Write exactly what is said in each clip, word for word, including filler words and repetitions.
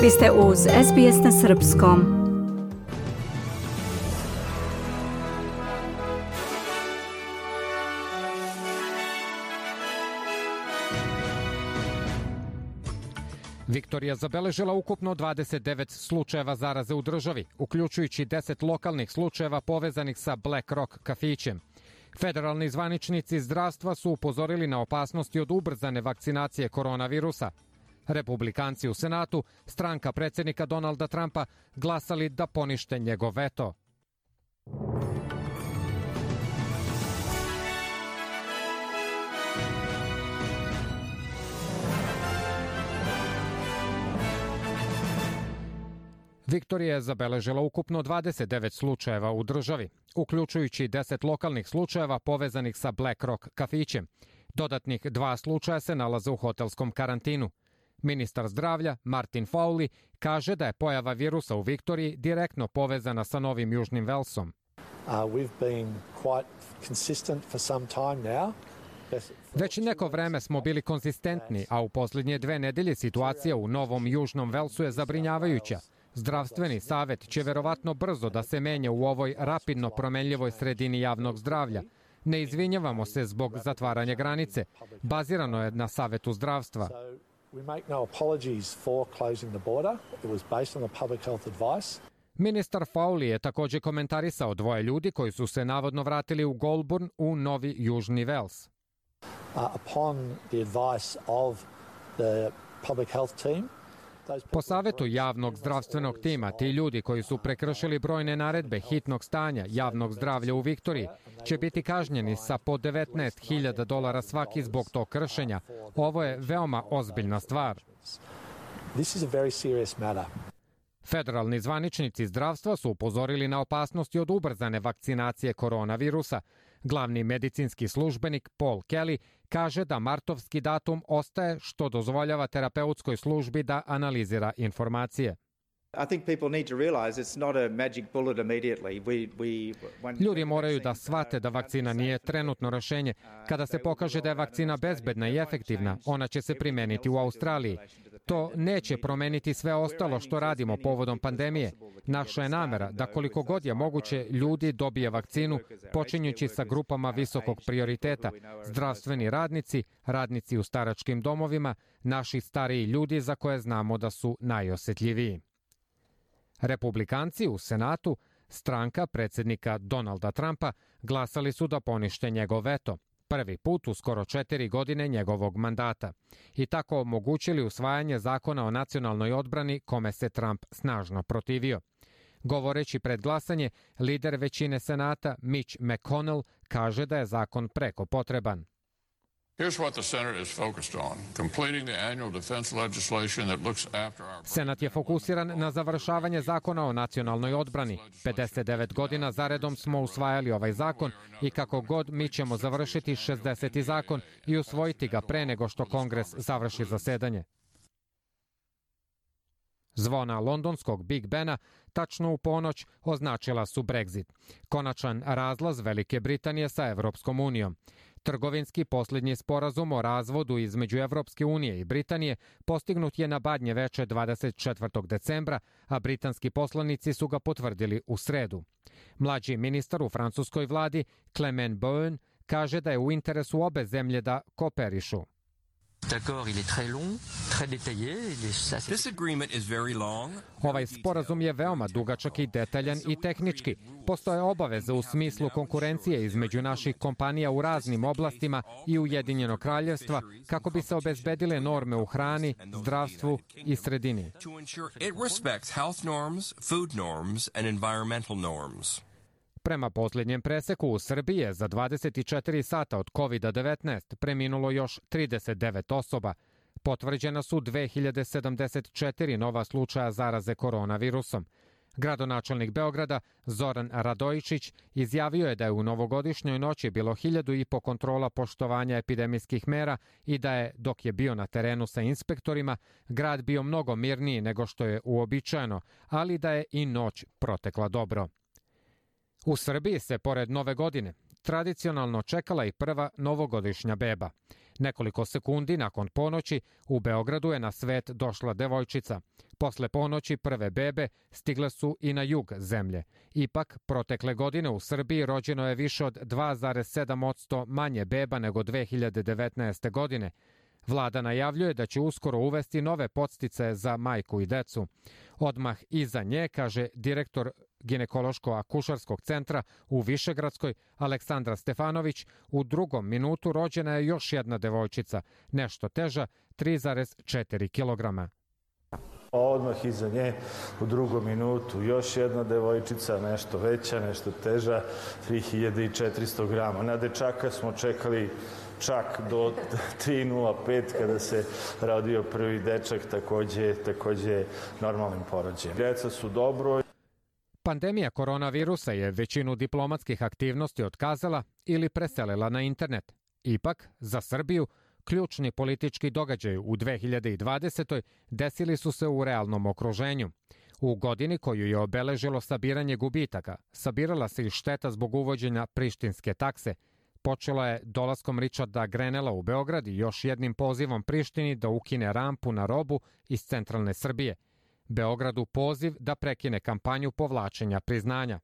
Vi ste uz S B S na srpskom. Viktorija zabeležila ukupno dvadeset devet slučajeva zaraze u državi, uključujući deset lokalnih slučajeva povezanih sa Black Rock kafićem. Federalni zvaničnici zdravstva su upozorili na opasnosti od ubrzane vakcinacije koronavirusa. Republikanci u Senatu, stranka predsjednika Donalda Trumpa, glasali da ponište njegov veto. Viktorija je zabeležila ukupno dvadeset devet slučajeva u državi, uključujući deset lokalnih slučajeva povezanih sa Black Rock kafićem. Dodatnih dva slučaja se nalaze u hotelskom karantinu. Ministar zdravlja Martin Fowley kaže da je pojava virusa u Viktoriji direktno povezana sa Novim Južnim Velsom. Uh, we've been quite consistent for some time now. Već neko vreme smo bili konzistentni, a u posljednje dve nedelje situacija u Novom Južnom Velsu je zabrinjavajuća. Zdravstveni savjet će verovatno brzo da se menja u ovoj rapidno promenljivoj sredini javnog zdravlja. Ne izvinjavamo se zbog zatvaranja granice. Bazirano je na Savetu zdravstva. Ministar Fowley je također komentarisao dvoje ljudi koji su se navodno vratili u Goulburn u Novi Južni Vels. Uh, upon the advice of the public health team, Po savjetu javnog zdravstvenog tima, ti ljudi koji su prekršili brojne naredbe hitnog stanja javnog zdravlja u Viktoriji će biti kažnjeni sa po devetnaest hiljada dolara svaki zbog tog kršenja. Ovo je veoma ozbiljna stvar. This is a very serious matter. Federalni zvaničnici zdravstva su upozorili na opasnosti od ubrzane vakcinacije koronavirusa. Glavni medicinski službenik Paul Kelly kaže da martovski datum ostaje, što dozvoljava terapeutskoj službi da analizira informacije. Ljudi moraju da shvate da vakcina nije trenutno rešenje. Kada se pokaže da je vakcina bezbedna i efektivna, ona će se primeniti u Australiji. To neće promeniti sve ostalo što radimo povodom pandemije. Naša je namera da koliko god je moguće ljudi dobije vakcinu, počinjući sa grupama visokog prioriteta, zdravstveni radnici, radnici u staračkim domovima, naši stariji ljudi za koje znamo da su najosjetljiviji. Republikanci u Senatu, stranka predsjednika Donalda Trumpa, glasali su da ponište njegov veto. Prvi put u skoro četiri godine njegovog mandata i tako omogućili usvajanje zakona o nacionalnoj odbrani kome se Trump snažno protivio. Govoreći pred glasanje, lider većine Senata Mitch McConnell kaže da je zakon preko potreban. Senat je fokusiran na završavanje zakona o nacionalnoj odbrani. pedeset devet godina zaredom smo usvajali ovaj zakon i kako god mi ćemo završiti šezdeseti zakon i usvojiti ga pre nego što Kongres završi zasedanje. Zvona londonskog Big Bena tačno u ponoć označila su Brexit, konačan razlaz Velike Britanije sa Evropskom unijom. Trgovinski posljednji sporazum o razvodu između Evropske unije i Britanije postignut je na Badnje veče dvadeset četvrtog decembra, a britanski poslanici su ga potvrdili u sredu. Mlađi ministar u francuskoj vladi, Clement Beaune, kaže da je u interesu obe zemlje da kooperišu. Ovaj sporazum je veoma dugačak i detaljan i tehnički. Postoje obaveze u smislu konkurencije između naših kompanija u raznim oblastima i Ujedinjenog kraljevstva kako bi se obezbedile norme u hrani, zdravstvu i sredini. Prema posljednjem preseku u Srbiji je za dvadeset četiri sata od kovid devetnaest preminulo još trideset devet osoba. Potvrđena su dve hiljade sedamdeset četiri nova slučaja zaraze koronavirusom. Gradonačelnik Beograda Zoran Radojičić izjavio je da je u novogodišnjoj noći bilo hiljadu i po kontrola poštovanja epidemijskih mera i da je, dok je bio na terenu sa inspektorima, grad bio mnogo mirniji nego što je uobičajeno, ali da je i noć protekla dobro. U Srbiji se, pored Nove godine, tradicionalno čekala i prva novogodišnja beba. Nekoliko sekundi nakon ponoći u Beogradu je na svet došla devojčica. Posle ponoći prve bebe stigle su i na jug zemlje. Ipak, protekle godine u Srbiji rođeno je više od dva zarez sedam posto manje beba nego dve hiljade devetnaeste. godine. Vlada najavljuje da će uskoro uvesti nove podsticaje za majku i decu. Odmah iza nje, kaže direktor ginekološko-akušarskog centra u Višegradskoj, Aleksandra Stefanović, u drugom minutu rođena je još jedna devojčica, nešto teža, tri zarez četiri kilograma. Odmah iza nje u drugom minutu još jedna devojčica, nešto veća, nešto teža, tri hiljade četiristo grama. Na dečaka smo čekali čak do tri nula pet kada se rodio prvi dečak, takođe, takođe normalnim porođajem. Djeca su dobro. Pandemija koronavirusa je većinu diplomatskih aktivnosti otkazala ili preselila na internet. Ipak, za Srbiju, ključni politički događaj u dve hiljade dvadesetoj. desili su se u realnom okruženju. U godini koju je obeležilo sabiranje gubitaka, sabirala se i šteta zbog uvođenja prištinske takse. Počela je dolaskom Richarda Grenela u Beograd i još jednim pozivom Prištini da ukine rampu na robu iz centralne Srbije. Beogradu poziv da prekine kampanju povlačenja priznanja.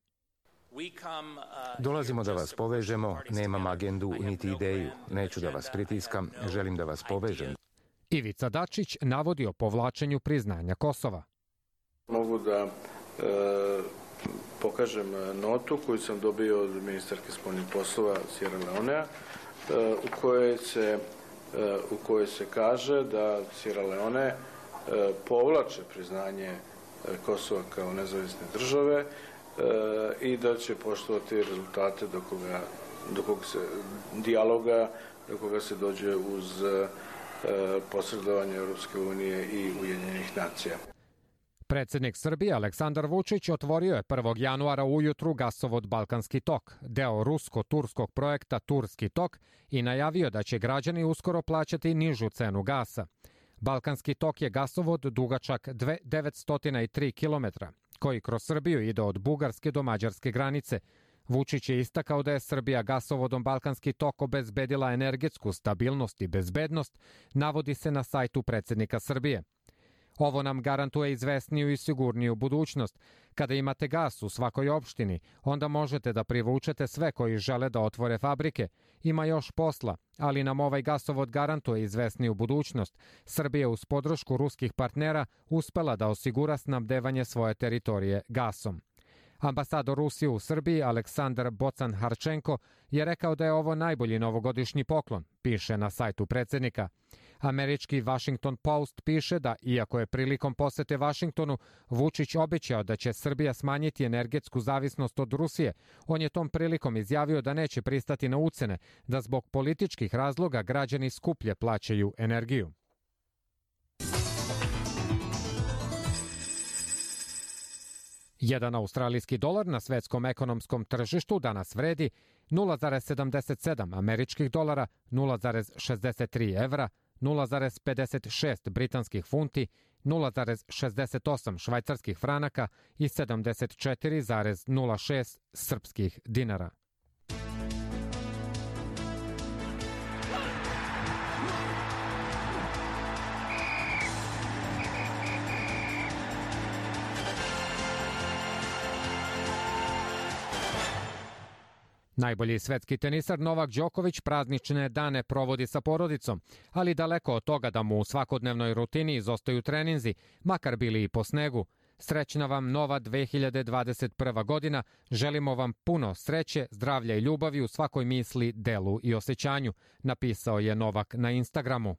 Dolazimo da vas povežemo, nemam agendu niti ideju, neću da vas pritiskam, želim da vas povežem. Ivica Dačić navodi o povlačenju priznanja Kosova. Mogu da e, pokažem notu koju sam dobio od ministarke spoljnih poslova Sierra Leonea, e, u kojoj se, e, u kojoj se kaže da Sierra Leone e, povlače priznanje Kosova kao nezavisne države i da će poštovati rezultate do koga, do koga se dijaloga, do koga se dođe uz posredovanje Europske unije i Ujedinjenih nacija. Predsednik Srbije Aleksandar Vučić otvorio je prvog januara ujutru gasovod Balkanski tok, deo rusko-turskog projekta Turski tok, i najavio da će građani uskoro plaćati nižu cenu gasa. Balkanski tok je gasovod dugačak devetsto tri kilometra, koji kroz Srbiju ide od Bugarske do Mađarske granice. Vučić je istakao da je Srbija gasovodom Balkanski tok obezbedila energetsku stabilnost i bezbednost, navodi se na sajtu predsednika Srbije. Ovo nam garantuje izvesniju i sigurniju budućnost. Kada imate gas u svakoj opštini, onda možete da privučete sve koji žele da otvore fabrike. Ima još posla, ali nam ovaj gasovod garantuje izvesniju budućnost. Srbija uz podršku ruskih partnera uspela da osigura snabdevanje svoje teritorije gasom. Ambasador Rusije u Srbiji Aleksandar Bocan-Harčenko je rekao da je ovo najbolji novogodišnji poklon, piše na sajtu predsednika. Američki Washington Post piše da, iako je prilikom posete Vašingtonu Vučić obećao da će Srbija smanjiti energetsku zavisnost od Rusije, on je tom prilikom izjavio da neće pristati na ucene, da zbog političkih razloga građani skuplje plaćaju energiju. Jedan australijski dolar na svetskom ekonomskom tržištu danas vredi nula zarez sedamdeset sedam američkih dolara, nula zarez šezdeset tri evra, nula zarez pedeset šest britanskih funti, nula zarez šezdeset osam švajcarskih franaka i sedamdeset četiri zarez nula šest srpskih dinara. Najbolji svetski tenisar Novak Đoković praznične dane provodi sa porodicom, ali daleko od toga da mu u svakodnevnoj rutini izostaju treninzi, makar bili i po snegu. Srećna vam nova dve hiljade dvadeset prva. godina, želimo vam puno sreće, zdravlja i ljubavi u svakoj misli, delu i osjećanju, napisao je Novak na Instagramu.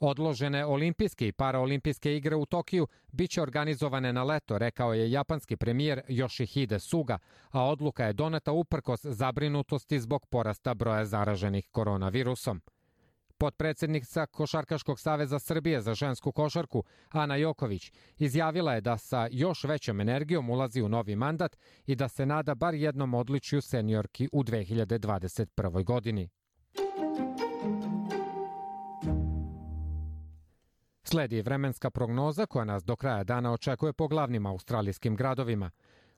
Odložene olimpijske i paraolimpijske igre u Tokiju biće organizovane na leto, rekao je japanski premijer Yoshihide Suga, a odluka je doneta uprkos zabrinutosti zbog porasta broja zaraženih koronavirusom. Potpredsednica Košarkaškog saveza Srbije za žensku košarku, Ana Joković, izjavila je da sa još većom energijom ulazi u novi mandat i da se nada bar jednom odličju seniorki u dve hiljade dvadeset prvoj. godini. Sledi vremenska prognoza koja nas do kraja dana očekuje po glavnim australijskim gradovima.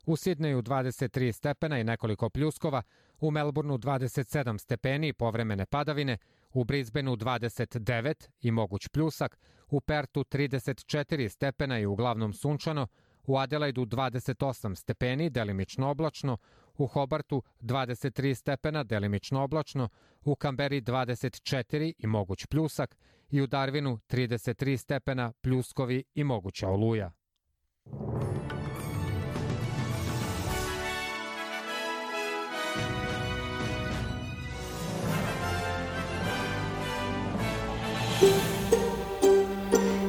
U Sidneju dvadeset tri stepena i nekoliko pljuskova, u Melbourneu dvadeset sedam stepeni i povremene padavine, u Brisbaneu dvadeset devet i moguć pljusak, u Pertu trideset četiri stepena i uglavnom sunčano, u Adelaidu dvadeset osam stepeni, delimično oblačno, u Hobartu dvadeset tri stepena, delimično oblačno, u Kamberi dvadeset četiri i moguć pljusak i u Darwinu trideset tri stepena, pljuskovi i moguća oluja.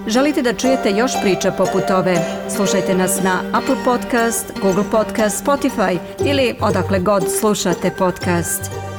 Želite da čujete još priča poput ove? Slušajte nas na Apple Podcast, Google Podcast, Spotify ili odakle god slušate podcast.